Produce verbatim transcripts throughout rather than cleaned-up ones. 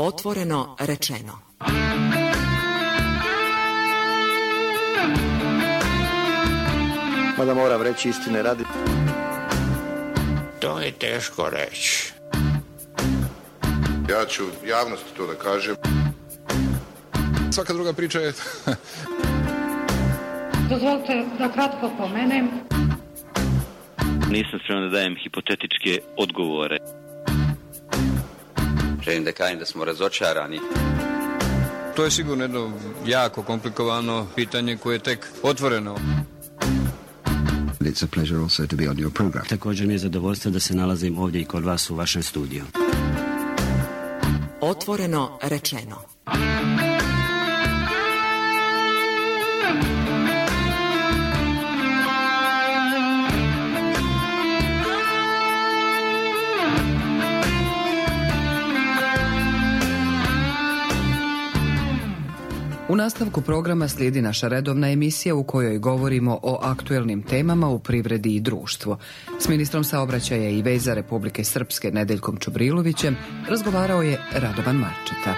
Otvoreno rečeno. Mada moram reći istine radi. To je teško reći. Ja ću javnosti to da kažem. Svaka druga priča je... Dozvolite da kratko pomenem. Nisam spreman da dajem hipotetičke odgovore. Želim da kažem da smo razočarani. To je sigurno jedno jako komplikovano pitanje koje je tek otvoreno. It's a pleasure also to be on your program. Također mi je zadovoljstvo da se nalazim ovdje i kod vas u vašem studiju. Otvoreno rečeno. U nastavku programa slijedi naša redovna emisija u kojoj govorimo o aktuelnim temama u privredi i društvu. S ministrom saobraćaja i veza Republike Srpske Nedeljkom Čubrilovićem razgovarao je Radovan Marčeta.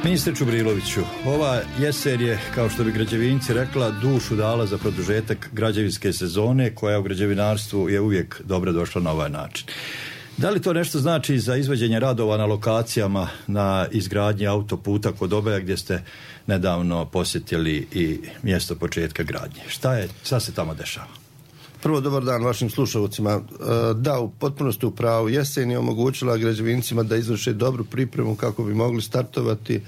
Ministre Čubriloviću, ova jesen je, kao što bi građevinci rekla, dušu dala za produžetak građevinske sezone, koja u građevinarstvu je uvijek dobro došla na ovaj način. Da li to nešto znači za izvođenje radova na lokacijama na izgradnji autoputa kod Obeja, gdje ste nedavno posjetili i mjesto početka gradnje? Šta je, šta se tamo dešava? Prvo, dobar dan vašim slušalcima. Da, u potpunosti u pravu. Jesen je omogućila građevincima da izvrše dobru pripremu kako bi mogli startovati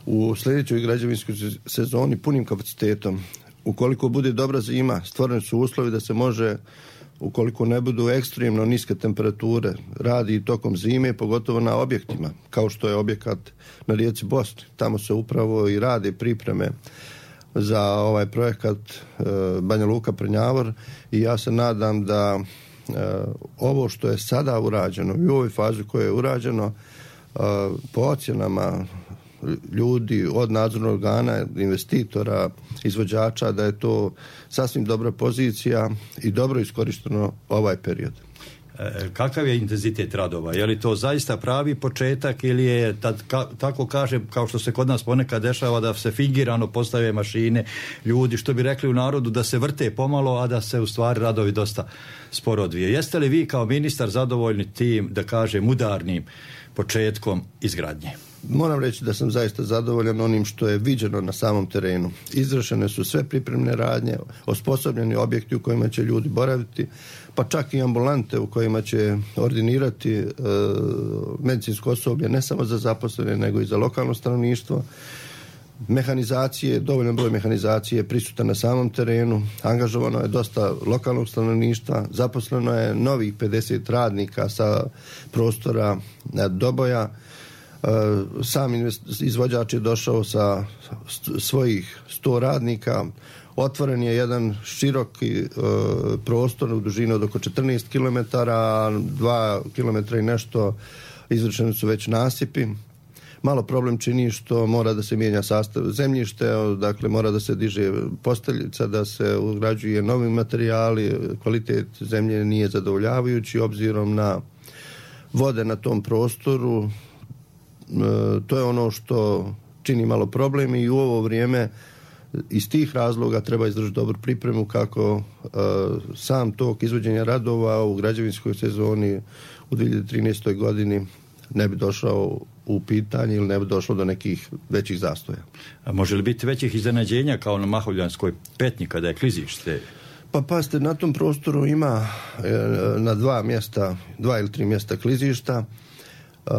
u sljedećoj građevinskoj sezoni punim kapacitetom. Ukoliko bude dobra zima, stvoreni su uslovi da se može, ukoliko ne budu ekstremno niske temperature, radi i tokom zime, pogotovo na objektima, kao što je objekat na rijeci Bosni. Tamo se upravo i rade pripreme za ovaj projekat e, Banja Luka Prnjavor i ja se nadam da e, ovo što je sada urađeno i u ovoj fazi koje je urađeno e, po ocjenama ljudi od nadzornog organa, investitora, izvođača, da je to sasvim dobra pozicija i dobro iskorišteno ovaj period. E, kakav je intenzitet radova? Je li to zaista pravi početak ili je, tad, ka, tako kažem, kao što se kod nas ponekad dešava, da se fingirano postave mašine, ljudi, što bi rekli u narodu, da se vrte pomalo, a da se u stvari radovi dosta sporo odvije. Jeste li vi kao ministar zadovoljni tim, da kažem, udarnim početkom izgradnje? Moram reći da sam zaista zadovoljan onim što je viđeno na samom terenu. Izvršene su sve pripremne radnje, osposobljeni objekti u kojima će ljudi boraviti, pa čak i ambulante u kojima će ordinirati e, medicinsko osoblje, ne samo za zaposlene, nego i za lokalno stanovništvo. Mehanizacije, dovoljan broj mehanizacije je prisutan na samom terenu, angažovano je dosta lokalnog stanovništva, zaposleno je novih pedeset radnika sa prostora Doboja. Sam izvođač je došao sa svojih sto radnika, otvoren je jedan široki e, prostor u dužini od oko četrnaest kilometara, dva kilometra i nešto izvršeni su već nasipi. Malo problem čini što mora da se mijenja sastav zemljište, dakle mora da se diže posteljica, da se ugrađuje novi materijali, kvalitet zemlje nije zadovoljavajući obzirom na vode na tom prostoru. E, to je ono što čini malo problem i u ovo vrijeme iz tih razloga treba izvršiti dobru pripremu kako e, sam tok izvođenja radova u građevinskoj sezoni u dvije hiljade trinaestoj godini ne bi došao u pitanje ili ne bi došlo do nekih većih zastoja. A može li biti većih iznenađenja kao na Mahovljanskoj petnji kada je klizište? Pa pazite, na tom prostoru ima e, na dva mjesta, dva ili tri mjesta klizišta, Uh,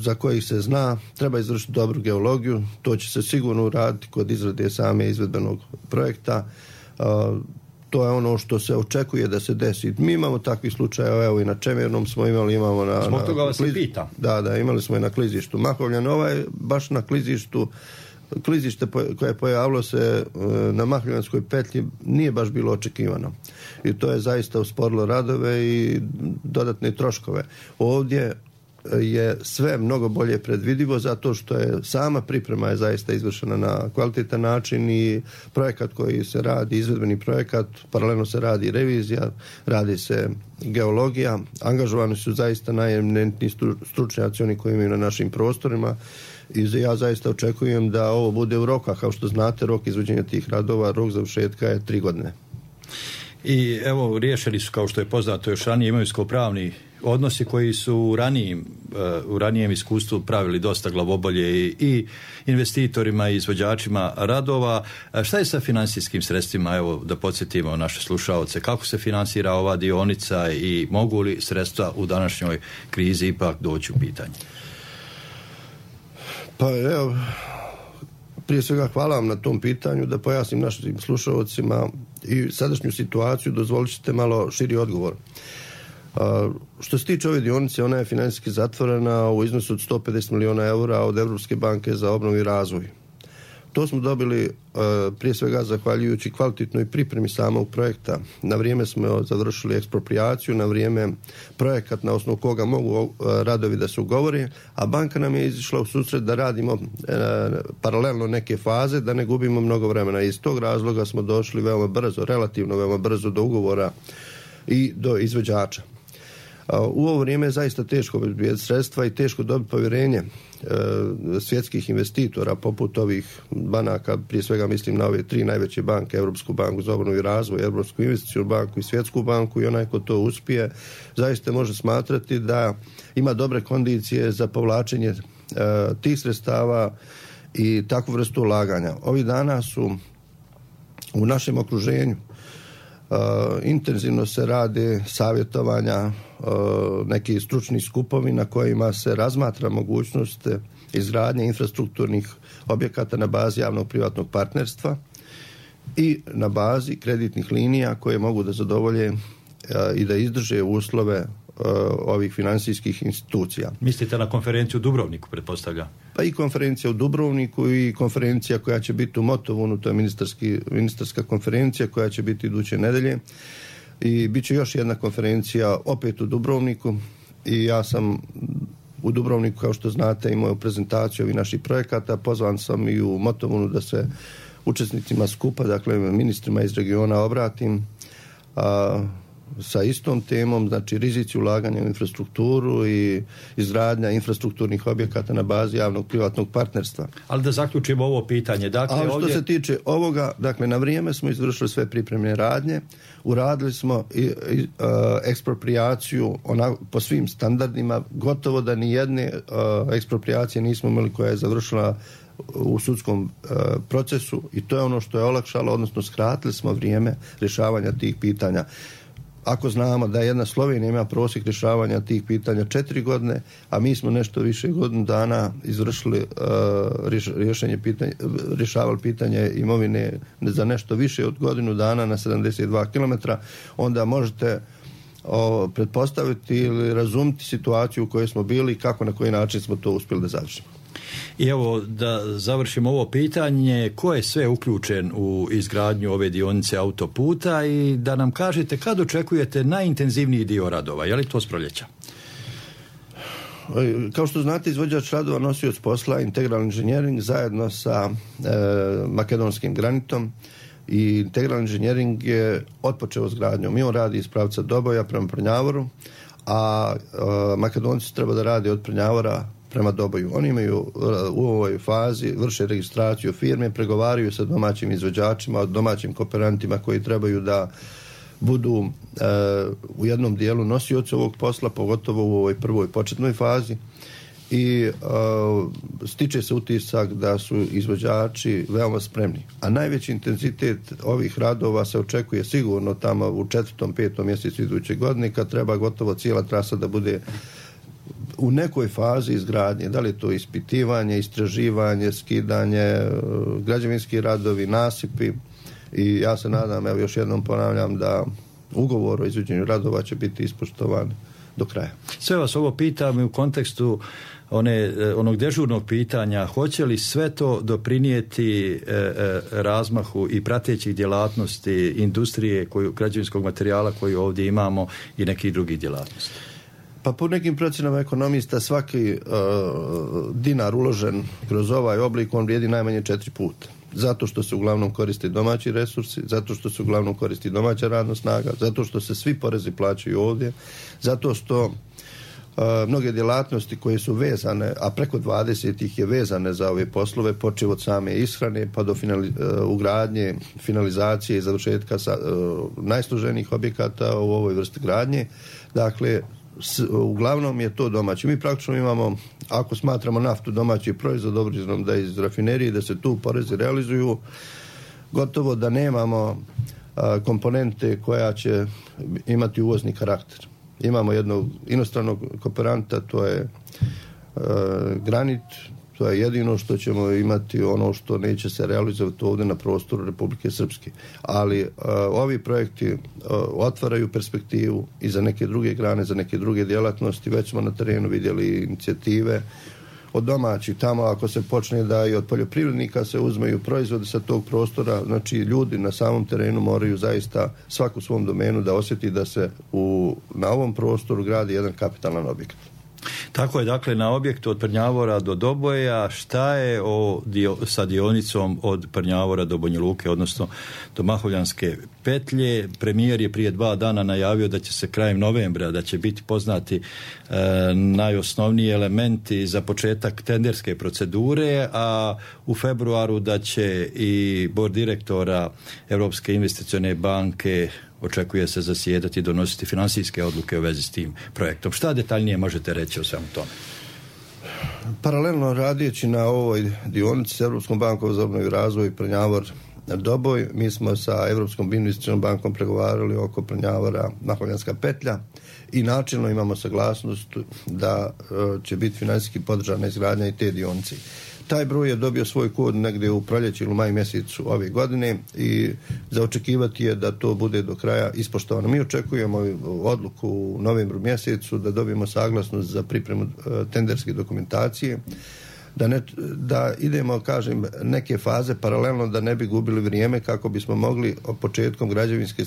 za kojih se zna, treba izvršiti dobru geologiju, to će se sigurno uraditi kod izrade same izvedbenog projekta. Uh, to je ono što se očekuje da se desi. Mi imamo takvih slučajeva, evo i na Čemernom smo imali, imamo na... Zbog toga vas kliz... i pita. Da, da, imali smo i na klizištu Mahovljan, ovaj baš na klizištu, klizište koje je pojavilo se na Mahovljanskoj petlji nije baš bilo očekivano. I to je zaista usporilo radove i dodatne troškove. Ovdje je sve mnogo bolje predvidivo zato što je sama priprema je zaista izvršena na kvalitetan način i projekat koji se radi, izvedbeni projekat, paralelno se radi revizija, radi se geologija, angažovani su zaista najeminentniji stručnjaci oni koji imaju na našim prostorima i ja zaista očekujem da ovo bude u roka, kao što znate rok izvođenja tih radova, rok završetka je tri godine. I evo, riješeni su, kao što je poznato, još ranije imovinsko-pravni odnosi koji su u ranijim, uh, u ranijem iskustvu pravili dosta glavobolje i, i investitorima i izvođačima radova. A šta je sa financijskim sredstvima? Evo, da podsjetimo naše slušaoce, kako se finansira ova dionica i mogu li sredstva u današnjoj krizi ipak doći u pitanje? Pa evo, prije svega hvala vam na tom pitanju, da pojasnim našim slušalcima i sadašnju situaciju, dozvolit ćete malo širi odgovor. A, što se tiče ove dionice, ona je financijski zatvorena u iznosu od sto pedeset miliona eura od Europske banke za obnovu i razvoj. To smo dobili a, prije svega zahvaljujući kvalitetnoj pripremi samog projekta. Na vrijeme smo završili eksproprijaciju, na vrijeme projekat na osnovu koga mogu a, radovi da se ugovore, a banka nam je izišla u susret da radimo a, paralelno neke faze, da ne gubimo mnogo vremena. Iz tog razloga smo došli veoma brzo, relativno veoma brzo do ugovora i do izvođača. U ovo vrijeme je zaista teško obezbijediti sredstva i teško dobiti povjerenje e, svjetskih investitora poput ovih banaka, prije svega mislim na ove tri najveće banke, Europsku banku za obnovu i razvoj, Europsku investicijsku banku i Svjetsku banku, i onaj ko to uspije zaista može smatrati da ima dobre kondicije za povlačenje e, tih sredstava i takvu vrstu ulaganja. Ovih dana su u našem okruženju Uh, intenzivno se rade savjetovanja, uh, neki stručni skupovi na kojima se razmatra mogućnost izgradnje infrastrukturnih objekata na bazi javnog privatnog partnerstva i na bazi kreditnih linija koje mogu da zadovolje uh, i da izdrže uslove uh, ovih financijskih institucija. Mislite na konferenciju u Dubrovniku, pretpostavlja? Pa i konferencija u Dubrovniku i konferencija koja će biti u Motovunu, to je ministarski, ministarska konferencija koja će biti iduće nedelje. I bit će još jedna konferencija opet u Dubrovniku i ja sam u Dubrovniku, kao što znate, imao prezentaciju ovih naših projekata. Pozvan sam i u Motovunu da se učesnicima skupa, dakle ministrima iz regiona obratim a, sa istom temom, znači rizici ulaganja u infrastrukturu i izgradnja infrastrukturnih objekata na bazi javnog privatnog partnerstva. Ali da zaključimo ovo pitanje. Dakle, Ali što ovdje... se tiče ovoga, dakle na vrijeme smo izvršili sve pripremne radnje, uradili smo i, i, uh, eksproprijaciju ona, po svim standardima, gotovo da ni jedne uh, eksproprijacije nismo imali koja je završila u sudskom uh, procesu i to je ono što je olakšalo, odnosno skratili smo vrijeme rješavanja tih pitanja. Ako znamo da jedna Slovenija ima prosjek rješavanja tih pitanja četiri godine, a mi smo nešto više godinu dana izvršili uh, rješenje pitanja, rješavali pitanje imovine za nešto više od godinu dana na sedamdeset dva kilometra, onda možete o, pretpostaviti ili razumiti situaciju u kojoj smo bili i kako na koji način smo to uspjeli da završimo. I evo da završimo ovo pitanje, ko je sve uključen u izgradnju ove dionice autoputa i da nam kažete kad očekujete najintenzivniji dio radova, je li to s proljeća? Kao što znate, izvođač radova nosioc posla Integral Engineering zajedno sa e, makedonskim granitom i Integral Engineering je otpočeo s gradnjom. I on radi iz pravca Doboja prema Prnjavoru, a e, Makedonci treba da radi od Prnjavora prema Doboju. Oni imaju u ovoj fazi, vrše registraciju firme, pregovaraju sa domaćim izvođačima, domaćim kooperantima koji trebaju da budu e, u jednom dijelu nosioci ovog posla, pogotovo u ovoj prvoj početnoj fazi. I e, stiče se utisak da su izvođači veoma spremni. A najveći intenzitet ovih radova se očekuje sigurno tamo u četvrtom, petom mjesecu iduće godine, kad treba gotovo cijela trasa da bude u nekoj fazi izgradnje, da li to ispitivanje, istraživanje, skidanje, građevinski radovi, nasipi i ja se nadam, evo još jednom ponavljam, da ugovor o izvođenju radova će biti ispoštovan do kraja. Sve vas ovo pitam u kontekstu one, onog dežurnog pitanja, hoće li sve to doprinijeti e, e, razmahu i pratećih djelatnosti industrije, koju, građevinskog materijala koju ovdje imamo i nekih drugih djelatnosti? Pa po nekim procjenama ekonomista svaki uh, dinar uložen kroz ovaj oblik on vrijedi najmanje četiri puta. Zato što se uglavnom koriste domaći resursi, zato što se uglavnom koristi domaća radna snaga, zato što se svi porezi plaćaju ovdje, zato što uh, mnoge djelatnosti koje su vezane, a preko dvadeset ih je vezane za ove poslove, počev od same ishrane pa do finali, uh, ugradnje, finalizacije i završetka sa, uh, najsloženijih objekata u ovoj vrsti gradnje. Dakle, s, uglavnom je to domaći. Mi praktično imamo, ako smatramo naftu domaći proizvod, obzirom da iz rafinerije, da se tu porezi realizuju, gotovo da nemamo a, komponente koja će imati uvozni karakter. Imamo jednog inostranog kooperanta, to je a, granit, to je jedino što ćemo imati, ono što neće se realizovati ovdje na prostoru Republike Srpske. Ali uh, ovi projekti uh, otvaraju perspektivu i za neke druge grane, za neke druge djelatnosti. Već smo na terenu vidjeli inicijative od domaćih. Tamo ako se počne da i od poljoprivrednika se uzmeju proizvode sa tog prostora, znači ljudi na samom terenu moraju zaista svaku svom domenu da osjeti da se u, na ovom prostoru gradi jedan kapitalan objekt. Tako je, dakle, na objektu od Prnjavora do Doboja. Šta je o dio, sa dionicom od Prnjavora do Banja Luke, odnosno do Mahovljanske petlje? Premijer je prije dva dana najavio da će se krajem novembra, da će biti poznati e, najosnovniji elementi za početak tenderske procedure, a u februaru da će i bord direktora Europske investicione banke, očekuje se, zasjedati i donositi financijske odluke u vezi s tim projektom. Šta detaljnije možete reći o svemu tome? Paralelno radijeći na ovoj dionici s Europskom bankom za obnovu i razvoj Prnjavor Doboj, mi smo sa Europskom investicionom bankom pregovarali oko Prnjavora Mahovljanska petlja i načelno imamo saglasnost da uh, će biti financijski podržana izgradnja i te dionice. Taj broj je dobio svoj kod negdje u proljeći ili maj mjesecu ove godine i za očekivati je da to bude do kraja ispoštovano. Mi očekujemo odluku u novembru mjesecu da dobijemo saglasnost za pripremu tenderske dokumentacije, da, ne, da idemo, kažem, neke faze paralelno, da ne bi gubili vrijeme kako bismo mogli početkom građevinske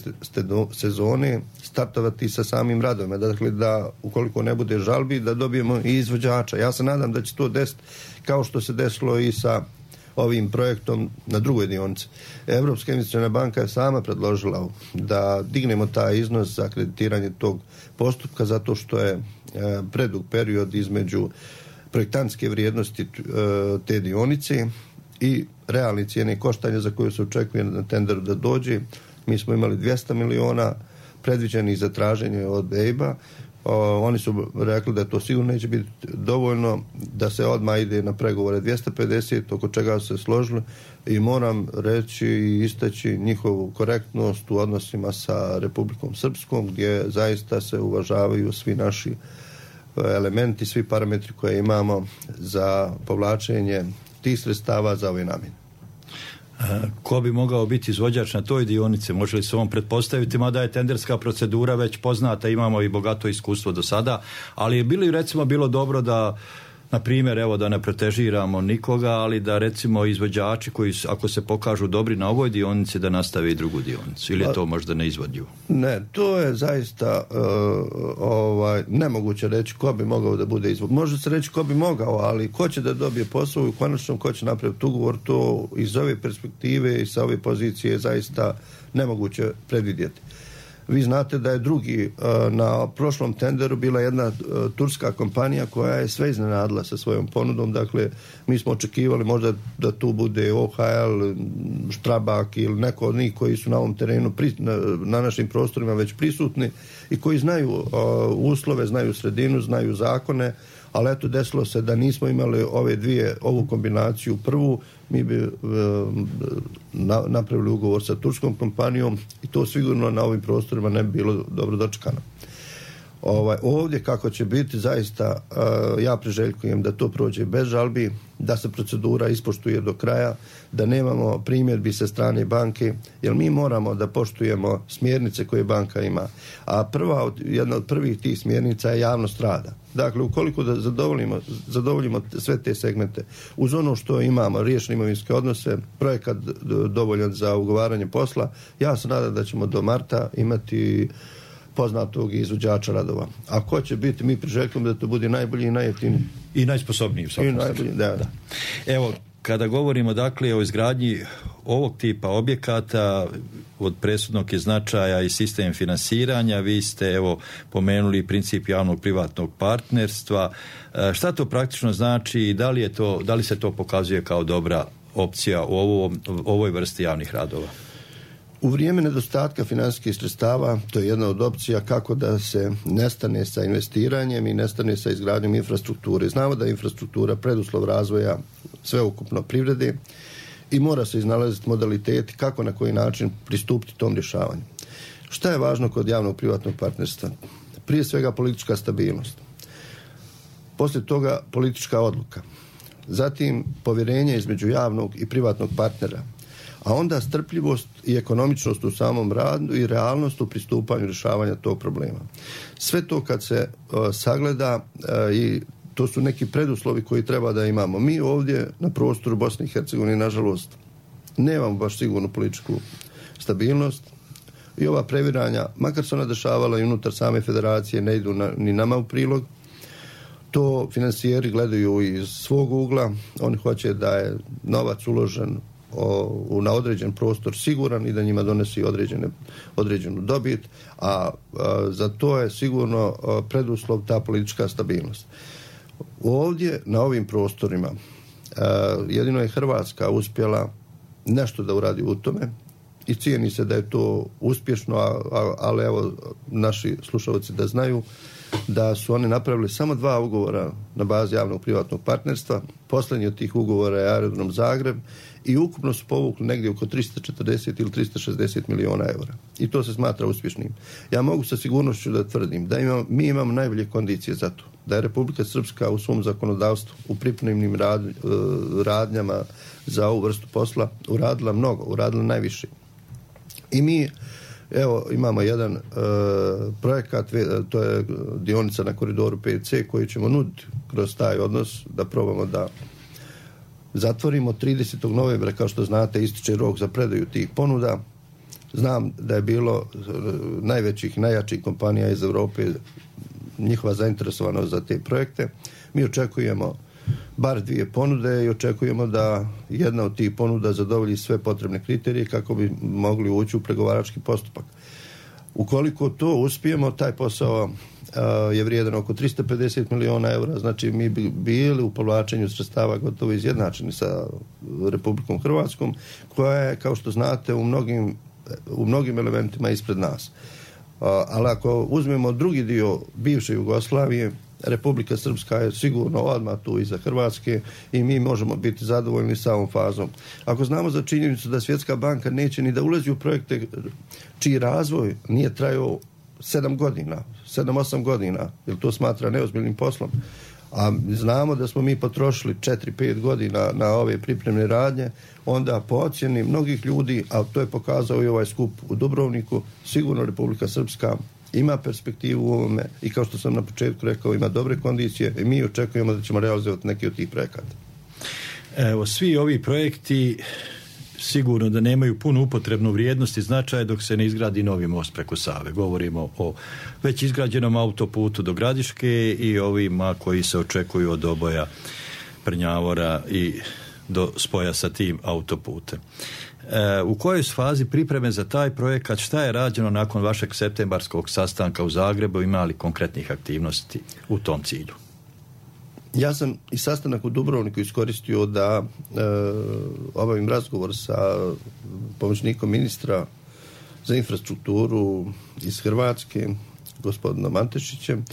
sezone startovati sa samim radovima. Dakle, da ukoliko ne bude žalbi, da dobijemo i izvođača. Ja se nadam da će to desiti kao što se desilo i sa ovim projektom na drugoj dionici. Europska investiciona banka je sama predložila da dignemo taj iznos za kreditiranje tog postupka zato što je predug period između projektantske vrijednosti te dionice i realne cijene koštanja za koju se očekuje na tenderu da dođe. Mi smo imali dvjesto miliona predviđenih za traženje od E I B-a. O, oni su rekli da to sigurno neće biti dovoljno, da se odmah ide na pregovore dvjesto pedeset, oko čega se složili, i moram reći i istaći njihovu korektnost u odnosima sa Republikom Srpskom, gdje zaista se uvažavaju svi naši elementi, svi parametri koje imamo za povlačenje tih sredstava za ove namjene. Ko bi mogao biti izvođač na toj dionici? Može li se on pretpostaviti, mada je tenderska procedura već poznata, imamo i bogato iskustvo do sada, ali je bilo, recimo, bilo dobro da, na primjer, evo, da ne pretežiramo nikoga, ali da, recimo, izvođači koji, ako se pokažu dobri na ovoj dionici, da nastave i drugu dionicu, ili je to možda neizvodljivo? Ne, to je zaista uh, ovaj, nemoguće reći ko bi mogao da bude izvod. Može se reći ko bi mogao, ali ko će da dobije posao i konačno ko će napraviti ugovor, to iz ove perspektive i sa ove pozicije je zaista nemoguće predvidjeti. Vi znate da je drugi na prošlom tenderu bila jedna turska kompanija koja je sve iznenadila sa svojom ponudom. Dakle, mi smo očekivali možda da tu bude O H L, Štrabak ili neko od njih koji su na ovom terenu, na našim prostorima već prisutni i koji znaju uslove, znaju sredinu, znaju zakone, ali eto, desilo se da nismo imali ove dvije, ovu kombinaciju prvu, mi bi e, na, napravili ugovor sa turskom kompanijom i to sigurno na ovim prostorima ne bi bilo dobro dočekano. Ovaj, ovdje kako će biti, zaista e, ja priželjkujem da to prođe bez žalbi, da se procedura ispoštuje do kraja, da nemamo primjedbi sa strane banke, jer mi moramo da poštujemo smjernice koje banka ima. A prva, jedna od prvih tih smjernica je javnost rada. Dakle, ukoliko da zadovoljimo, zadovoljimo sve te segmente, uz ono što imamo, riješene imovinske odnose, projekat dovoljan za ugovaranje posla, ja se nadam da ćemo do marta imati poznatog izvođača radova. A ko će biti, mi priželjkujemo da to bude najbolji i najjeftiniji. I najsposobniji. I najbolji, da, da. Evo, kada govorimo dakle o izgradnji ovog tipa objekata, od presudnog je značaja i sistem finansiranja, vi ste evo pomenuli princip javnog privatnog partnerstva. E, šta to praktično znači i da li, je to, da li se to pokazuje kao dobra opcija u ovom, ovoj vrsti javnih radova? U vrijeme nedostatka financijskih sredstava to je jedna od opcija kako da se nestane sa investiranjem i nestane sa izgradnjom infrastrukture. Znamo da je infrastruktura preduslov razvoja sveukupno privrede i mora se iznalaziti modaliteti kako na koji način pristupiti tom rješavanju. Šta je važno kod javnog privatnog partnerstva? Prije svega politička stabilnost. Poslije toga politička odluka. Zatim povjerenje između javnog i privatnog partnera. A onda strpljivost i ekonomičnost u samom radu i realnost u pristupanju rješavanja tog problema. Sve to kad se uh, sagleda uh, i to su neki preduslovi koji treba da imamo. Mi ovdje na prostoru Bosne i Hercegovine, nažalost, nemamo baš sigurnu političku stabilnost i ova previranja, makar se ona dešavala i unutar same federacije, ne idu na, ni nama u prilog. To finansijeri gledaju iz svog ugla, oni hoće da je novac uložen o, na određen prostor siguran i da njima donesi određene, određenu dobit, a, a za to je sigurno a, preduslov ta politička stabilnost. Ovdje, na ovim prostorima, a, jedino je Hrvatska uspjela nešto da uradi u tome i cijeni se da je to uspješno, a, a, ali evo naši slušalci da znaju da su oni napravili samo dva ugovora na bazi javnog privatnog partnerstva. Posljednji od tih ugovora je Aerodrom Zagreb i ukupno su povukli negdje oko tristo četrdeset ili tristo šezdeset miliona eura. I to se smatra uspješnim. Ja mogu sa sigurnošću da tvrdim da imam, mi imamo najbolje kondicije za to. Da je Republika Srpska u svom zakonodavstvu, u pripremnim rad, radnjama za ovu vrstu posla uradila mnogo, uradila najviše. I mi evo, imamo jedan uh, projekat, to je dionica na koridoru pet ce koji ćemo nuditi kroz taj odnos da probamo da zatvorimo. tridesetog novembra, kao što znate, ističe rok za predaju tih ponuda. Znam da je bilo uh, najvećih, najjačih kompanija iz Europe, njihova zainteresovanost za te projekte. Mi očekujemo bar dvije ponude i očekujemo da jedna od tih ponuda zadovolji sve potrebne kriterije kako bi mogli ući u pregovarački postupak. Ukoliko to uspijemo, taj posao uh, je vrijedan oko tristo pedeset miliona eura, znači mi bi bili u povlačenju sredstava gotovo izjednačeni sa Republikom Hrvatskom, koja je, kao što znate, u mnogim, u mnogim elementima ispred nas. Uh, ali ako uzmemo drugi dio bivše Jugoslavije, Republika Srpska je sigurno odmah tu iza Hrvatske i mi možemo biti zadovoljni sa ovom fazom. Ako znamo za činjenicu da Svjetska banka neće ni da ulazi u projekte čiji razvoj nije trajao sedam godina, sedam, osam godina, jer to smatra neozbiljnim poslom, a znamo da smo mi potrošili četiri, pet godina na ove pripremne radnje, onda po ocjeni mnogih ljudi, a to je pokazao i ovaj skup u Dubrovniku, sigurno Republika Srpska ima perspektivu u ovome i, kao što sam na početku rekao, ima dobre kondicije i mi očekujemo da ćemo realizovati neki od tih projekata. Evo, svi ovi projekti sigurno da nemaju punu upotrebnu vrijednost i značaj dok se ne izgradi novi most preko Save. Govorimo o već izgrađenom autoputu do Gradiške i ovima koji se očekuju od Oboja, Prnjavora i do spoja sa tim autoputem. E, u kojoj fazi pripreme za taj projekat, šta je rađeno nakon vašeg septembarskog sastanka u Zagrebu, ima li konkretnih aktivnosti u tom cilju? Ja sam i sastanak u Dubrovniku iskoristio da e, obavim razgovor sa pomoćnikom ministra za infrastrukturu iz Hrvatske, gospodinom Antešićem,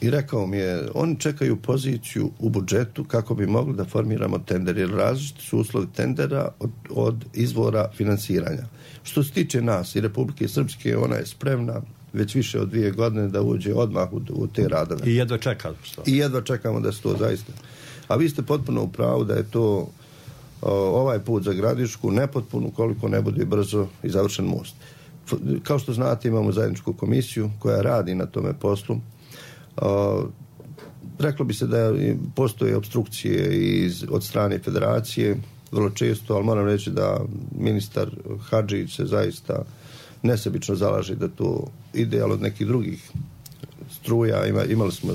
i rekao mi je, oni čekaju poziciju u budžetu kako bi mogli da formiramo tender, jer različiti su uslovi tendera od, od izvora finansiranja. Što se tiče nas i Republike Srpske, ona je spremna već više od dvije godine da uđe odmah u, u te radove. I jedva čekamo. I jedva čekamo da se to zaista. A vi ste potpuno u pravu da je to o, ovaj put za Gradišku nepotpuno koliko ne bude brzo i završen most. F, kao što znate, imamo zajedničku komisiju koja radi na tome poslu. Uh, reklo bi se da postoje obstrukcije iz, od strane federacije vrlo često, ali moram reći da ministar Hadžić se zaista nesebično zalaže da to ide, ali od nekih drugih struja ima, imali smo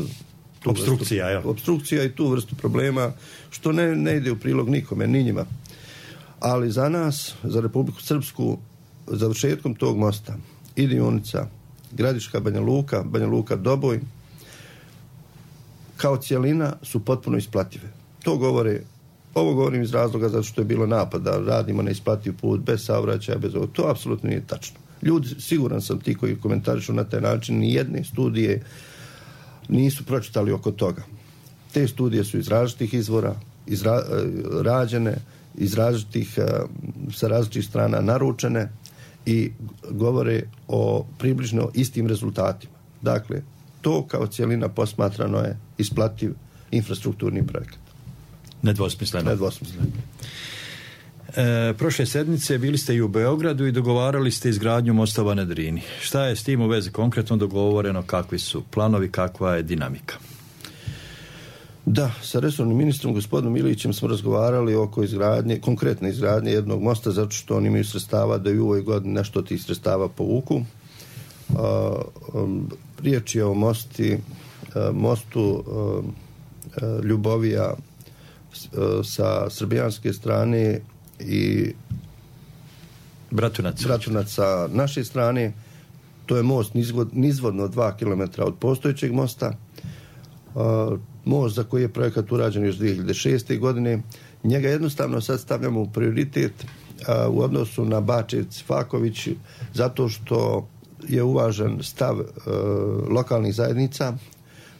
obstrukcija, vrstu, obstrukcija i tu vrstu problema, što ne, ne ide u prilog nikome, ni njima. Ali za nas, za Republiku Srpsku, završetkom tog mosta i dionica Gradiška, Banja Luka, Banja Luka, Doboj, kao cijelina su potpuno isplative. To govore, ovo govorim iz razloga zato što je bilo napada, radimo neisplativ put, bez saobraćaja, bez ovo. To apsolutno nije tačno. Ljudi, siguran sam ti koji komentarišu na taj način, ni jedne studije nisu pročitali oko toga. Te studije su iz različitih izvora, izra, rađene, iz različitih, sa različitih strana naručene i govore o približno istim rezultatima. Dakle, to kao cijelina posmatrano je isplativ infrastrukturni projekat. Nedvosmisleno. Nedvosmisleno. E, prošle sedmice bili ste i u Beogradu i dogovarali ste izgradnju mostova na Drini. Šta je s tim u vezi konkretno dogovoreno, kakvi su planovi, kakva je dinamika? Da, sa resornim ministrom gospodinom Ilićem smo razgovarali oko izgradnje, konkretne izgradnje jednog mosta, zato što oni imaju sredstava da i u ovoj godini nešto od tih sredstava povuku. A, um, riječ je o mosti, a, mostu a, a, Ljubovija a, sa srbijanske strane i Bratunac. Bratunac sa naše strane. To je most nizvod, nizvodno dva kilometra od postojećeg mosta. Uh, most za koji je projekat urađen još dvije hiljade šeste. godine. Njega jednostavno sad stavljamo u prioritet uh, u odnosu na Bačevc Faković, zato što je uvažen stav uh, lokalnih zajednica,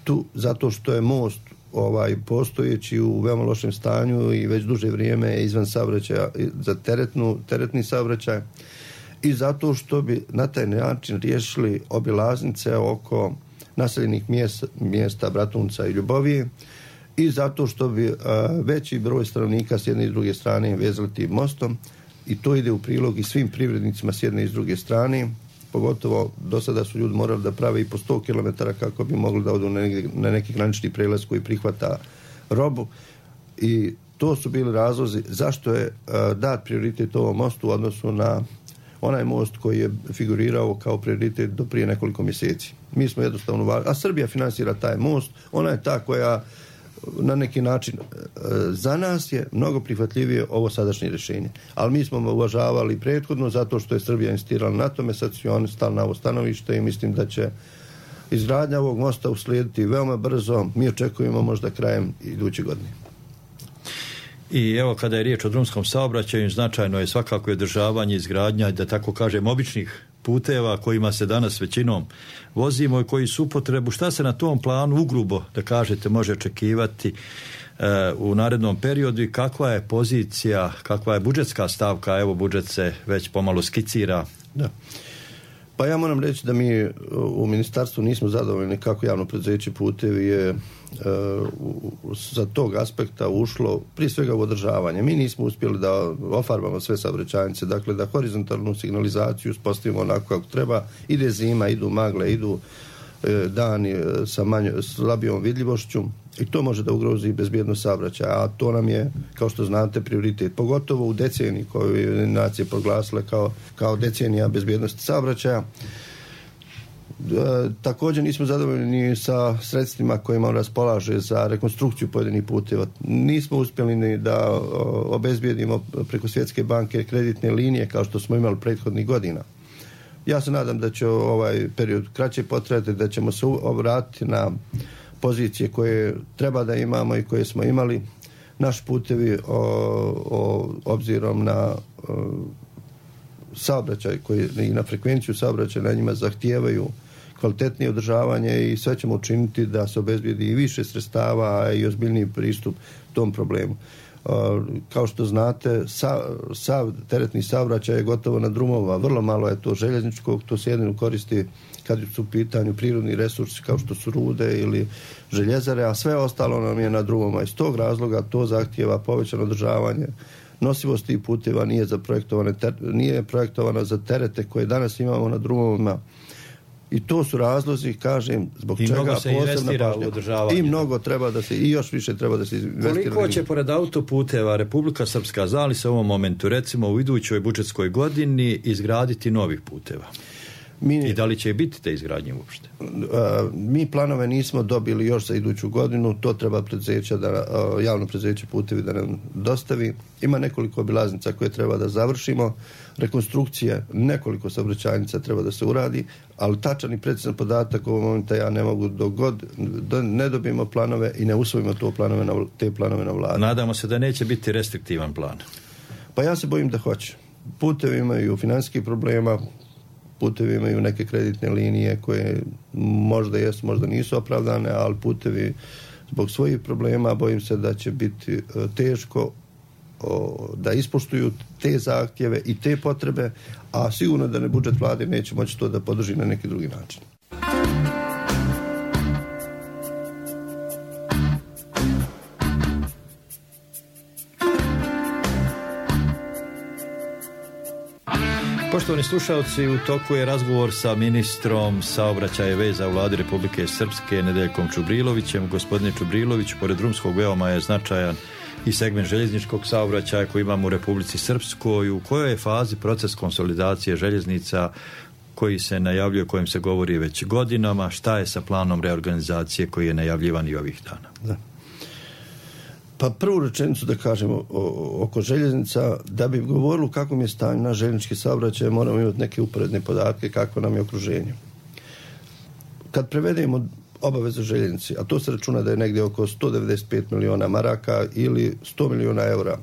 tu zato što je most ovaj postojeći u veoma lošem stanju i već duže vrijeme izvan saobraćaja za teretnu, teretni saobraćaj, i zato što bi na taj način riješili obilaznice oko naseljenih mjesta, mjesta Bratunca i Ljubovije, i zato što bi a, veći broj stanovnika s jedne i druge strane vezali tim mostom, i to ide u prilog i svim privrednicima s jedne i s druge strane. Pogotovo do sada su ljudi morali da prave i po sto kilometara kako bi mogli da odu na neki, na neki granični prelaz koji prihvata robu, i to su bili razlozi zašto je a, dat prioritet ovom mostu u odnosu na onaj most koji je figurirao kao prioritet do prije nekoliko mjeseci. Mi smo jednostavno, a Srbija finansira taj most, ona je ta koja na neki način za nas je mnogo prihvatljivije ovo sadašnje rješenje. Ali mi smo uvažavali prethodno zato što je Srbija insistirala na tome, sad su oni stali na ovo stanovište i mislim da će izgradnja ovog mosta uslijediti veoma brzo. Mi očekujemo možda krajem iduće godine. I evo, kada je riječ o drumskom saobraćaju, značajno je svakako i održavanje, izgradnja, da tako kažem, običnih puteva kojima se danas većinom vozimo i koji su upotrebu. Šta se na tom planu ugrubo, da kažete, može očekivati e, u narednom periodu i kakva je pozicija, kakva je budžetska stavka? Evo, budžet se već pomalo skicira. Da. Pa ja moram reći da mi u ministarstvu nismo zadovoljni kako javno preduzeće Putevi je e, u, za tog aspekta ušlo prije svega u održavanje. Mi nismo uspjeli da ofarbamo sve saobraćajnice, dakle da horizontalnu signalizaciju uspostavimo onako kako treba. Ide zima, idu magle, idu e, dani sa manj, slabijom vidljivošću, i to može da ugrozi bezbjednost saobraćaja, a to nam je, kao što znate, prioritet, pogotovo u deceniji koju je nacije proglasile kao, kao decenija bezbjednosti saobraćaja. E, također nismo zadovoljni sa sredstvima kojima raspolaže za rekonstrukciju pojedinih puteva. Nismo uspjeli ni da o, obezbijedimo preko Svjetske banke kreditne linije kao što smo imali prethodnih godina. Ja se nadam da će ovaj period kraće potrajati, da ćemo se obratiti na pozicije koje treba da imamo i koje smo imali. Naš putevi o, o, obzirom na o, saobraćaj koji, i na frekvenciju saobraćaja na njima zahtijevaju kvalitetnije održavanje, i sve ćemo učiniti da se obezbijedi i više sredstava i ozbiljniji pristup tom problemu. O, kao što znate, sa, sav teretni saobraćaj je gotovo na drumova, vrlo malo je to željezničkog, to se jedino koristi kad su u pitanju prirodni resursi kao što su rude ili željezare, a sve ostalo nam je na drumoma. Iz tog razloga to zahtijeva povećano održavanje. Nosivost tih puteva nije, za projektovane ter, nije projektovana za terete koje danas imamo na drumovima. I to su razlozi, kažem, zbog I čega mnogo se investira u održavanje. I mnogo treba da se, i još više treba da se investira. Koliko će pored autoputeva Republika Srpska, zna li se u ovom momentu, recimo u idućoj budžetskoj godini, izgraditi novih puteva? Mi, I da li će biti te izgradnje uopšte? A, mi planove nismo dobili još za iduću godinu, to treba preduzeća da, a, javno preduzeće Putevi da nam dostavi. Ima nekoliko obilaznica koje treba da završimo, rekonstrukcije nekoliko saobraćajnica treba da se uradi, ali tačan i precizan podatak u ovom momentu ja ne mogu dok god do, ne dobijemo planove i ne usvojimo to planove na, te planove na vladi. Nadamo se da neće biti restriktivan plan. Pa ja se bojim da hoće. Putevi imaju financijskih problema, putevi imaju neke kreditne linije koje možda jesu, možda nisu opravdane, ali putevi zbog svojih problema bojim se da će biti teško o, da ispoštuju te zahtjeve i te potrebe, a sigurno da ne budžet vlade neće moći to da podrži na neki drugi način. Poštovani slušalci, u toku je razgovor sa ministrom saobraćaja i veza u vladi Republike Srpske Nedeljkom Čubrilovićem. Gospodine Čubrilović, pored drumskog veoma je značajan i segment željezničkog saobraćaja koji imamo u Republici Srpskoj. U kojoj je fazi proces konsolidacije željeznica koji se najavljuje, o kojem se govori već godinama? Šta je sa planom reorganizacije koji je najavljivan i ovih dana? Da. Pa prvu rečenicu da kažemo oko željeznica, da bi govorili u kakvom je stanju na željeznički saobraćaj, moramo imati neke uporedne podatke kako nam je okruženje. Kad prevedemo obaveze željeznici, a to se računa da je negdje oko sto devedeset pet miliona maraka ili sto miliona eura,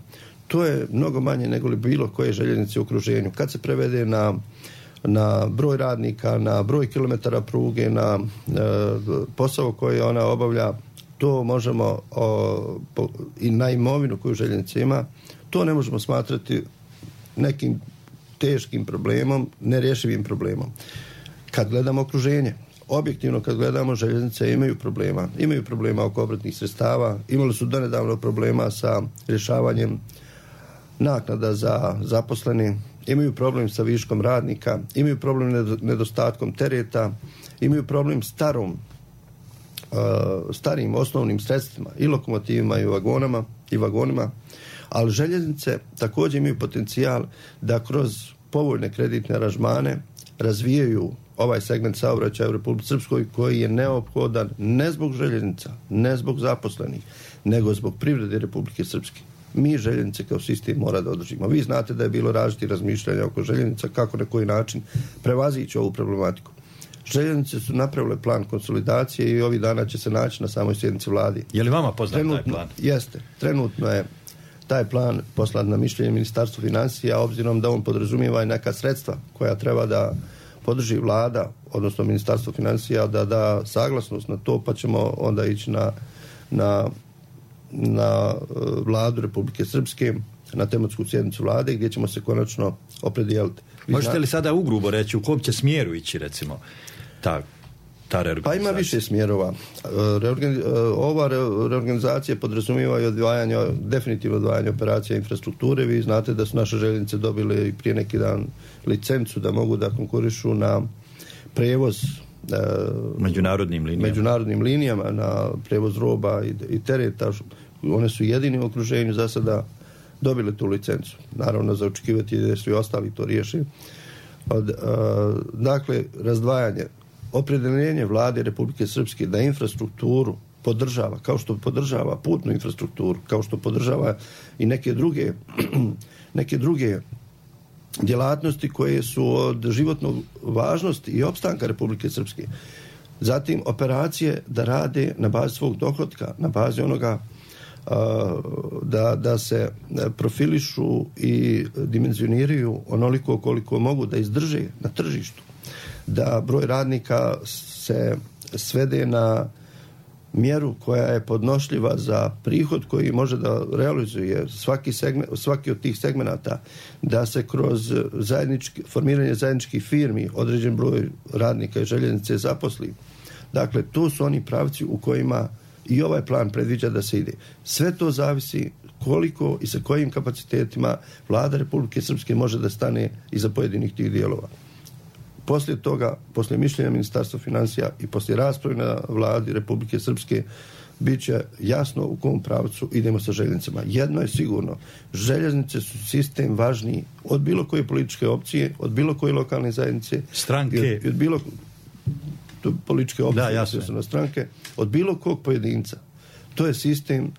to je mnogo manje nego li bilo koje željeznice u okruženju. Kad se prevede na, na broj radnika, na broj kilometara pruge, na e, posao koji ona obavlja, to možemo o, po, i na imovinu koju željeznica ima, to ne možemo smatrati nekim teškim problemom, nerješivim problemom. Kad gledamo okruženje, objektivno kad gledamo, željeznice imaju problema. Imaju problema oko obratnih sredstava, imali su donedavno problema sa rješavanjem naknada za zaposleni, imaju problem sa viškom radnika, imaju problem nedostatkom tereta, imaju problem starom Uh, starim osnovnim sredstvima i lokomotivima i vagonama i vagonima, ali željeznice također imaju potencijal da kroz povoljne kreditne aranžmane razvijaju ovaj segment saobraćaja u Republici Srpskoj koji je neophodan ne zbog željeznica, ne zbog zaposlenih, nego zbog privrede Republike Srpske. Mi željeznice kao sistem mora da održimo. Vi znate da je bilo različitih razmišljanja oko željeznica, kako na koji način prevazići ovu problematiku. Željeznice su napravile plan konsolidacije i ovih dana će se naći na samoj sjednici vladi. Je li vama poznat trenutno, taj plan? Jeste. Trenutno je taj plan poslan na mišljenje Ministarstva financija, obzirom da on podrazumijeva i neka sredstva koja treba da podrži vlada, odnosno Ministarstvo financija, da da saglasnost na to, pa ćemo onda ići na, na, na vladu Republike Srpske, na tematsku sjednicu vlade, gdje ćemo se konačno opredijeliti. Možete li sada ugrubo reći u kom će smjeru ići, recimo, ta, ta reorganizacija? Pa ima više smjerova. Reorganiz, ova reorganizacija podrazumijeva i odvajanje, definitivno odvajanje operacija infrastrukture. Vi znate da su naše željeznice dobile prije neki dan licencu da mogu da konkurišu na prevoz međunarodnim linijama, međunarodnim linijama na prevoz roba i, i tereta. One su jedini u okruženju za sada dobili tu licencu. Naravno, za očekivati da su i ostali to riješi. Od, a, dakle, razdvajanje, opredjeljenje vlade Republike Srpske da infrastrukturu podržava, kao što podržava putnu infrastrukturu, kao što podržava i neke druge neke druge djelatnosti koje su od životnog važnosti i opstanka Republike Srpske. Zatim, operacije da rade na bazi svog dohotka, na bazi onoga Da, da se profilišu i dimenzioniraju onoliko koliko mogu da izdrže na tržištu, da broj radnika se svede na mjeru koja je podnošljiva za prihod koji može da realizuje svaki, segment, svaki od tih segmenata, da se kroz zajednički, formiranje zajedničkih firmi određen broj radnika i željeznice zaposli. Dakle, to su oni pravci u kojima i ovaj plan predviđa da se ide. Sve to zavisi koliko i sa kojim kapacitetima vlada Republike Srpske može da stane iza pojedinih tih dijelova. Poslije toga, poslije mišljenja Ministarstva financija i poslije rasprave na vladi Republike Srpske, bit će jasno u kom pravcu idemo sa željeznicama. Jedno je sigurno, željeznice su sistem važniji od bilo koje političke opcije, od bilo koje lokalne zajednice, stranke, i od, i od bilo političke opcije, da, jasno. Na stranke, od bilo kog pojedinca. To je sistem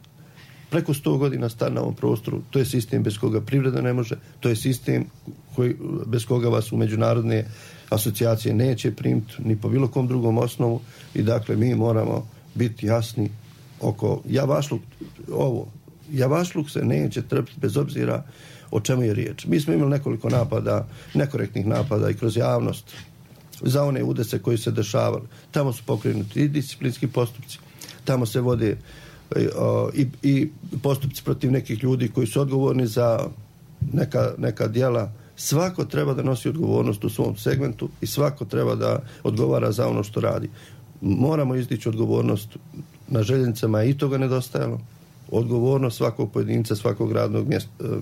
preko sto godina star na ovom prostoru, to je sistem bez koga privreda ne može, to je sistem koji, bez koga vas u međunarodne asocijacije neće primiti ni po bilo kom drugom osnovu i dakle mi moramo biti jasni oko javašluk, ovo, javašluk se neće trpiti bez obzira o čemu je riječ. Mi smo imali nekoliko napada, nekorektnih napada i kroz javnost za one udese koji se dešavali. Tamo su pokrenuti i disciplinski postupci, tamo se vode i, i postupci protiv nekih ljudi koji su odgovorni za neka, neka djela. Svako treba da nosi odgovornost u svom segmentu i svako treba da odgovara za ono što radi. Moramo izdići odgovornost na željeznicama i toga nedostajalo. Odgovornost svakog pojedinca, svakog radnog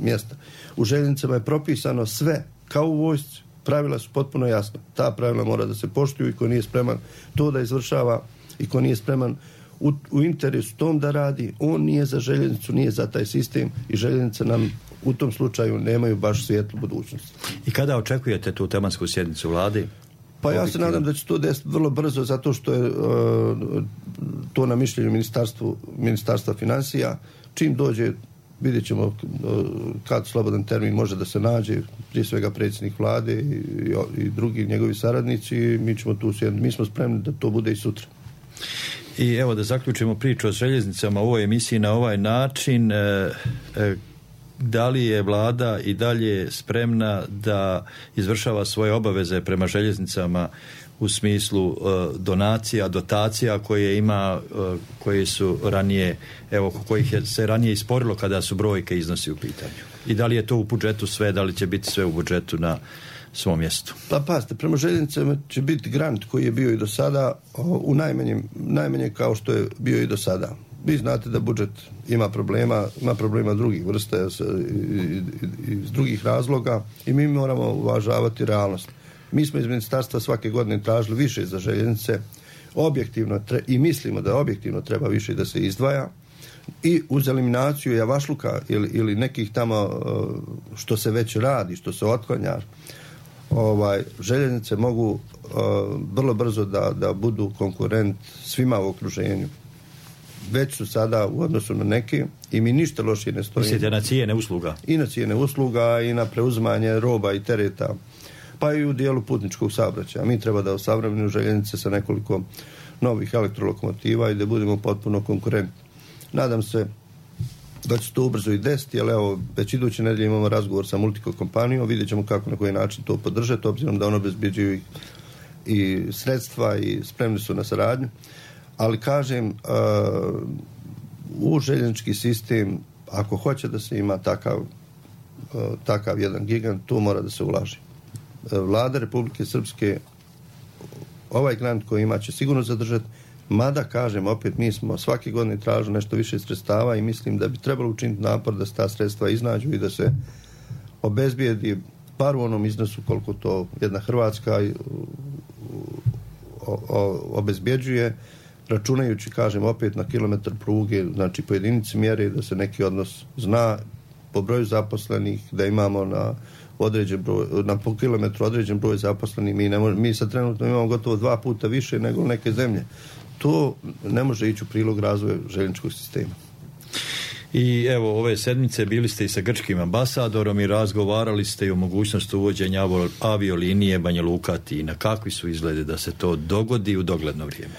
mjesta. U željeznicama je propisano sve, kao u vojsci. Pravila su potpuno jasna. Ta pravila mora da se poštuju i ko nije spreman to da izvršava i ko nije spreman u, u interesu tom da radi, on nije za željeznicu, nije za taj sistem i željeznice nam u tom slučaju nemaju baš svijetlu budućnost. I kada očekujete tu tematsku sjednicu vlade? Pa ja se nadam da će to desiti vrlo brzo zato što je uh, to na mišljenju ministarstvu, ministarstva financija. Čim dođe, vidjet ćemo uh, kad slobodan termin može da se nađe, prije svega predsjednik vlade i, i, i drugi njegovi saradnici, mi ćemo tu sjediti. Mi smo spremni da to bude i sutra. I evo da zaključimo priču o željeznicama u ovoj emisiji na ovaj način. E, e, da li je vlada i dalje spremna da izvršava svoje obaveze prema željeznicama u smislu e, donacija, dotacija koje ima, e, koje su ranije, evo, kojih je se ranije isporilo kada su brojke iznosi u pitanju? I da li je to u budžetu sve, da li će biti sve u budžetu na svom mjestu? Pa pazite, prema željeznicama će biti grant koji je bio i do sada u najmanjem, najmanje kao što je bio i do sada. Vi znate da budžet ima problema, ima problema drugih vrsta iz drugih razloga i mi moramo uvažavati realnost. Mi smo iz ministarstva svake godine tražili više za željeznice, objektivno tre, i mislimo da objektivno treba više da se izdvaja i uz eliminaciju javašluka ili, ili nekih tamo što se već radi, što se otklanja, ovaj, željeznice mogu uh, vrlo brzo da, da budu konkurent svima u okruženju. Već su sada u odnosu na neke i mi ništa lošije ne stojimo. Mislite na cijene usluga? I na cijene usluga i na preuzimanje roba i tereta, pa i u dijelu putničkog saobraćaja. Mi treba da osavremenimo željeznice sa nekoliko novih elektrolokomotiva i da budemo potpuno konkurentni. Nadam se da će to ubrzo i desiti, ali evo, već iduće nedelje imamo razgovor sa Multico kompanijom, vidjet ćemo kako na koji način to podržati, obzirom da ono obezbeđuju i, i sredstva i spremni su na saradnju. Ali kažem, uh, u željeznički sistem, ako hoće da se ima takav, uh, takav jedan gigant, to mora da se ulaži. Uh, Vlada Republike Srpske ovaj grant koji ima će sigurno zadržati, mada, kažem, opet mi smo svake godine tražili nešto više sredstava i mislim da bi trebalo učiniti napor da se ta sredstva iznađu i da se obezbijedi bar u onom iznosu koliko to jedna Hrvatska o, o, obezbjeđuje, računajući, kažem, opet na kilometar pruge, znači po jedinici mjere da se neki odnos zna po broju zaposlenih, da imamo na određen broj, na po kilometru određen broj zaposlenih. Mi, ne možemo, mi sad trenutno imamo gotovo dva puta više nego neke zemlje. To ne može ići u prilog razvoja željezničkog sistema. I evo, ove sedmice bili ste i sa grčkim ambasadorom i razgovarali ste i o mogućnosti uvođenja aviolinije Banja Luka-Atina. Kakvi su izglede da se to dogodi u dogledno vrijeme?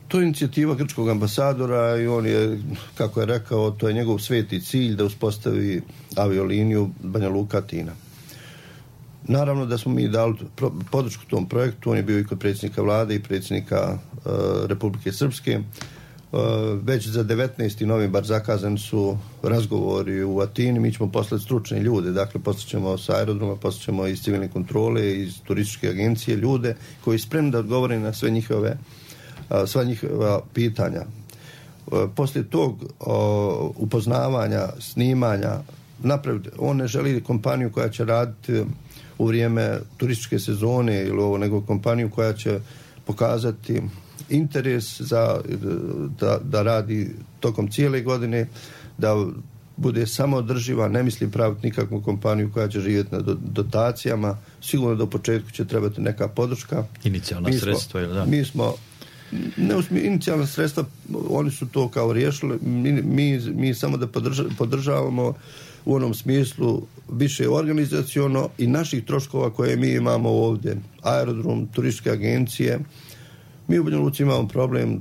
To je inicijativa grčkog ambasadora i on je, kako je rekao, to je njegov sveti cilj da uspostavi avioliniju Banja Luka-Atina. Naravno da smo mi dali podršku tom projektu, on je bio i kod predsjednika vlade i predsjednika uh, Republike Srpske. Uh, već za devetnaesti novembar zakazani su razgovori u Atini, mi ćemo poslati stručne ljude, dakle poslaćemo sa aerodroma, poslaćemo iz civilne kontrole, iz turističke agencije ljude koji su spremni da odgovore na sve njihove, uh, sva njihova pitanja. Uh, poslije tog uh, upoznavanja, snimanja, napraviti, on ne želi kompaniju koja će raditi u vrijeme turističke sezone ili ovo, nego kompaniju koja će pokazati interes za, da, da radi tokom cijele godine, da bude samo održiva, ne mislim praviti nikakvu kompaniju koja će živjeti na dotacijama, sigurno do početku će trebati neka podrška. Inicijalna mi smo, sredstva, ili da? Mi smo, ne usmi, inicijalna sredstva, oni su to kao riješili, mi, mi, mi samo da podrža, podržavamo u onom smislu više organizaciono i naših troškova koje mi imamo ovdje, aerodrom, turističke agencije. Mi u Banja Luci imamo problem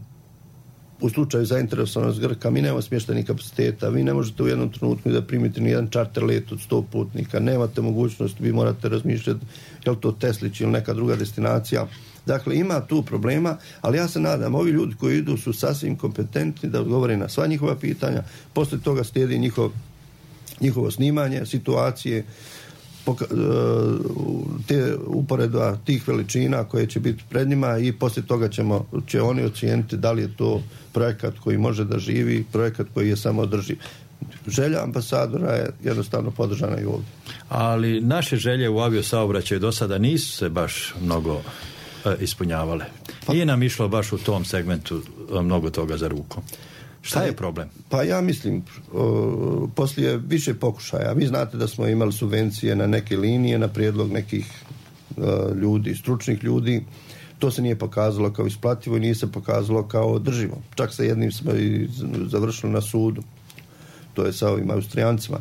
u slučaju zainteresovanost Grka, mi nemamo smještajnih kapaciteta, vi ne možete u jednom trenutku da primite ni jedan čarter let od sto putnika, nemate mogućnost, vi morate razmišljati je li to Teslić ili neka druga destinacija. Dakle, ima tu problema, ali ja se nadam, ovi ljudi koji idu su sasvim kompetentni da odgovore na sva njihova pitanja, poslije toga slijedi njihov, njihovo snimanje, situacije, te uporedba tih veličina koje će biti pred njima i poslije toga ćemo, će oni ocijeniti da li je to projekat koji može da živi, projekat koji je samo održiv. Želja ambasadora je jednostavno podržana i ovdje. Ali naše želje u aviosaobraćaju do sada nisu se baš mnogo e, ispunjavale. Pa, nije nam išlo baš u tom segmentu mnogo toga za rukom. Šta pa, je problem? Pa ja mislim, o, poslije više pokušaja, vi znate da smo imali subvencije na neke linije, na prijedlog nekih o, ljudi, stručnih ljudi, to se nije pokazalo kao isplativo i nije se pokazalo kao održivo. Čak sa jednim smo i završili na sudu, to je sa ovim Austrijancima.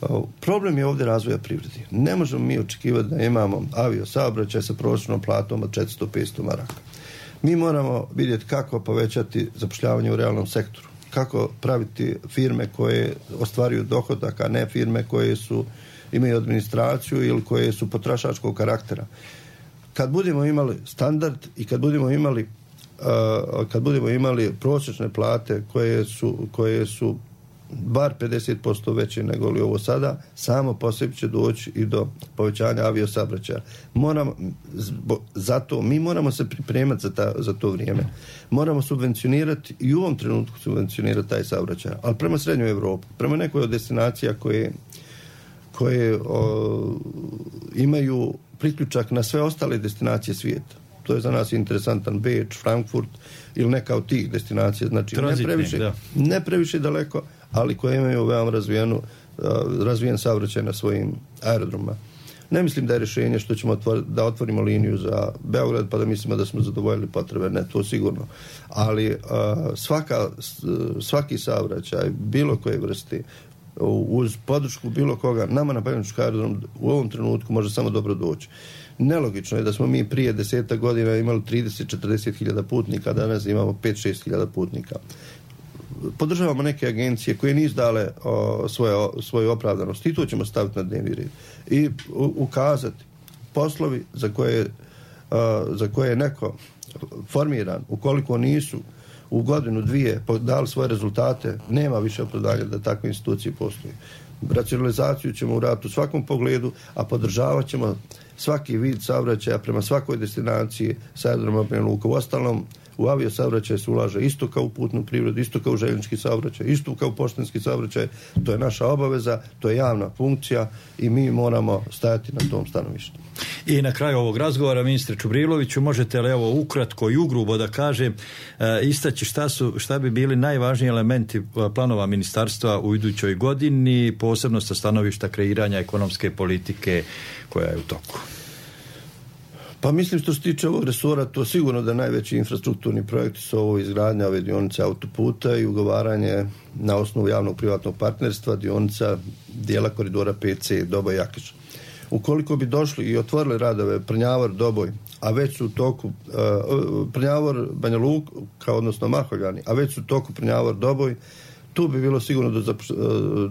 O, problem je ovdje razvoja privredi. Ne možemo mi očekivati da imamo avio saobraćaj sa prosječnom platom od četiristo do petsto maraka. Mi moramo vidjeti kako povećati zapošljavanje u realnom sektoru, kako praviti firme koje ostvaruju dohodak, a ne firme koje su, imaju administraciju ili koje su potrošačkog karaktera. Kad budemo imali standard i kad budemo imali, uh, kad budemo imali prosječne plate koje su, koje su bar pedeset posto veće nego li ovo sada, samo po sebi će doći i do povećanja aviosaobraćaja. Moramo, zato mi moramo se pripremati za, ta, za to vrijeme. Moramo subvencionirati i u ovom trenutku subvencionirati taj saobraćaj, ali prema srednjoj Evropi, prema nekoj od destinacija koje, koje o, imaju priključak na sve ostale destinacije svijeta. To je za nas interesantan Beč, Frankfurt ili neka od tih destinacija. Znači, ne previše, ne previše daleko, ali koje imaju veoma razvijenu, razvijen saobraćaj na svojim aerodromima. Ne mislim da je rješenje što ćemo otvor, da otvorimo liniju za Beograd pa da mislimo da smo zadovoljili potrebe. Ne, to sigurno. Ali svaka, svaki saobraćaj, bilo koje vrste, uz podršku bilo koga, nama na Bajvančki aerodrom u ovom trenutku može samo dobro doći. Nelogično je da smo mi prije deseta godina imali trideset do četrdeset hiljada putnika, danas imamo pet do šest hiljada putnika. Podržavamo neke agencije koje nisu dale o, svoje, svoju opravdanost i to ćemo staviti na dnevni red. I u, ukazati poslovi za koje, o, za koje je neko formiran, ukoliko nisu u godinu, dvije dali svoje rezultate, nema više opravdanja da takve institucije postoje. Racionalizaciju ćemo uraditi u svakom pogledu, a podržavat ćemo svaki vid saobraćaja prema svakoj destinaciji sa aerodroma Banja Luka. U ostalom, u aviosaobraćaj se ulaže isto kao u putnu privredu, isto kao u željeznički saobraćaj, isto kao u poštanski saobraćaj. To je naša obaveza, to je javna funkcija i mi moramo stajati na tom stanovištu. I na kraju ovog razgovora, ministre Čubriloviću, možete li evo ukratko i ugrubo da kažem, e, istaći šta, su, šta bi bili najvažniji elementi planova ministarstva u idućoj godini, posebno sa stanovišta kreiranja ekonomske politike koja je u toku? Pa mislim što se tiče ovog resora, to sigurno da najveći infrastrukturni projekti su ovo izgradnja ove dionice autoputa i ugovaranje na osnovu javnog privatnog partnerstva dionica dijela koridora P C Doboj-Jakiš. Ukoliko bi došli i otvorili radove Prnjavor-Doboj, a već su u toku uh, Prnjavor-Banja Luka, odnosno Maholjani, a već su u toku Prnjavor-Doboj, tu bi bilo sigurno do zapoš, uh,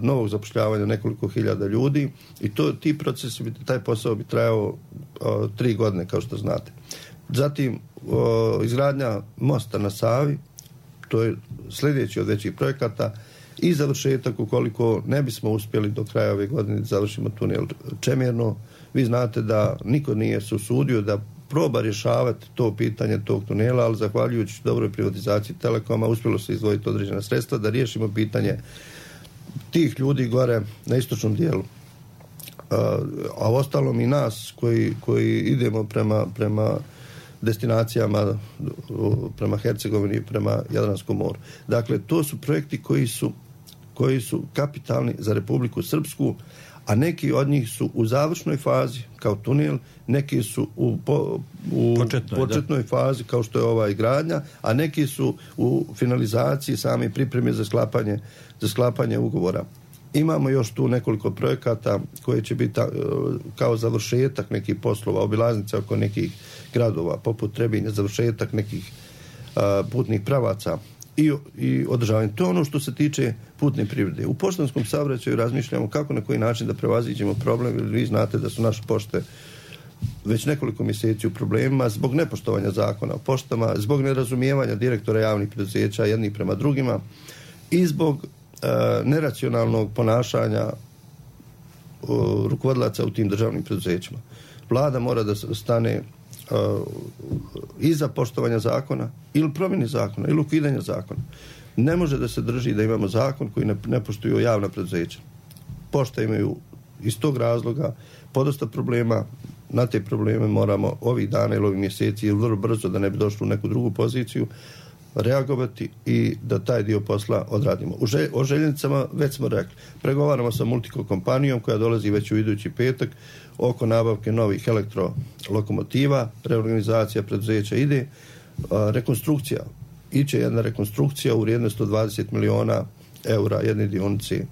novog zapošljavanja nekoliko hiljada ljudi i to, ti procesi, bi, taj posao bi trajao uh, tri godine, kao što znate. Zatim, uh, izgradnja mosta na Savi, to je sljedeći od većih projekata, i završetak, ukoliko ne bismo uspjeli do kraja ove godine da završimo tunel Čemirno. Vi znate da niko nije se usudio da proba rješavati to pitanje tog tunela, ali zahvaljujući dobroj privatizaciji Telekoma uspjelo se izdvojiti određena sredstva da riješimo pitanje tih ljudi gore na istočnom dijelu. A ostalom i nas koji, koji idemo prema, prema destinacijama, prema Hercegovini, prema Jadranskom moru. Dakle, to su projekti koji su, koji su kapitalni za Republiku Srpsku, a neki od njih su u završnoj fazi, kao tunel, neki su u, po, u početnoj, početnoj fazi, kao što je ova izgradnja, a neki su u finalizaciji same pripreme za sklapanje, za sklapanje ugovora. Imamo još tu nekoliko projekata koji će biti kao završetak nekih poslova, obilaznice oko nekih gradova, poput Trebinja, završetak nekih a, putnih pravaca i, i održavanje. To je ono što se tiče putne privrede. U poštanskom saobraćaju razmišljamo kako na koji način da prevaziđemo problem, jer vi znate da su naše pošte već nekoliko mjeseci u problemima zbog nepoštovanja zakona o poštama, zbog nerazumijevanja direktora javnih preduzeća jednih prema drugima i zbog e, neracionalnog ponašanja o, rukovodilaca u tim državnim preduzećima. Vlada mora da stane uh, iza poštovanja zakona ili promjene zakona ili ukidanja zakona. Ne može da se drži da imamo zakon koji ne, ne poštuju javna preduzeća. Pošta imaju iz tog razloga podosta problema. Na te probleme moramo ovih dana ili ovih mjeseci ili vrlo brzo, da ne bi došli u neku drugu poziciju, reagovati i da taj dio posla odradimo. U želj, o željeznicama već smo rekli. Pregovaramo sa Multico kompanijom koja dolazi već u idući petak oko nabavke novih elektrolokomotiva, reorganizacija preduzeća ide, a, rekonstrukcija. Iće jedna rekonstrukcija u vrijednosti od dvadeset miliona eura jedne dionice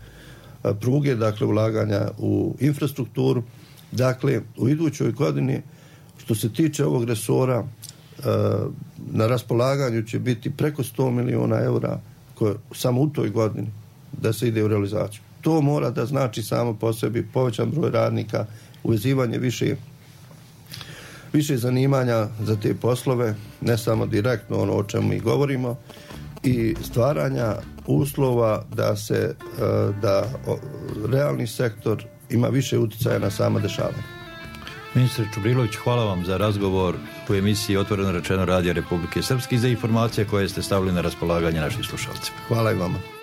a, pruge, dakle ulaganja u infrastrukturu. Dakle, u idućoj godini, što se tiče ovog resora, na raspolaganju će biti preko sto miliona eura koje, samo u toj godini da se ide u realizaciju. To mora da znači samo po sebi povećan broj radnika, uvezivanje više, više zanimanja za te poslove, ne samo direktno ono o čemu mi govorimo, i stvaranja uslova da se da realni sektor ima više utjecaja na sama dešavanja. Ministre Čubrilović, hvala vam za razgovor u emisiji Otvoreno rečeno Radija Republike Srpske i za informacije koje ste stavili na raspolaganje našim slušalcima. Hvala i vama.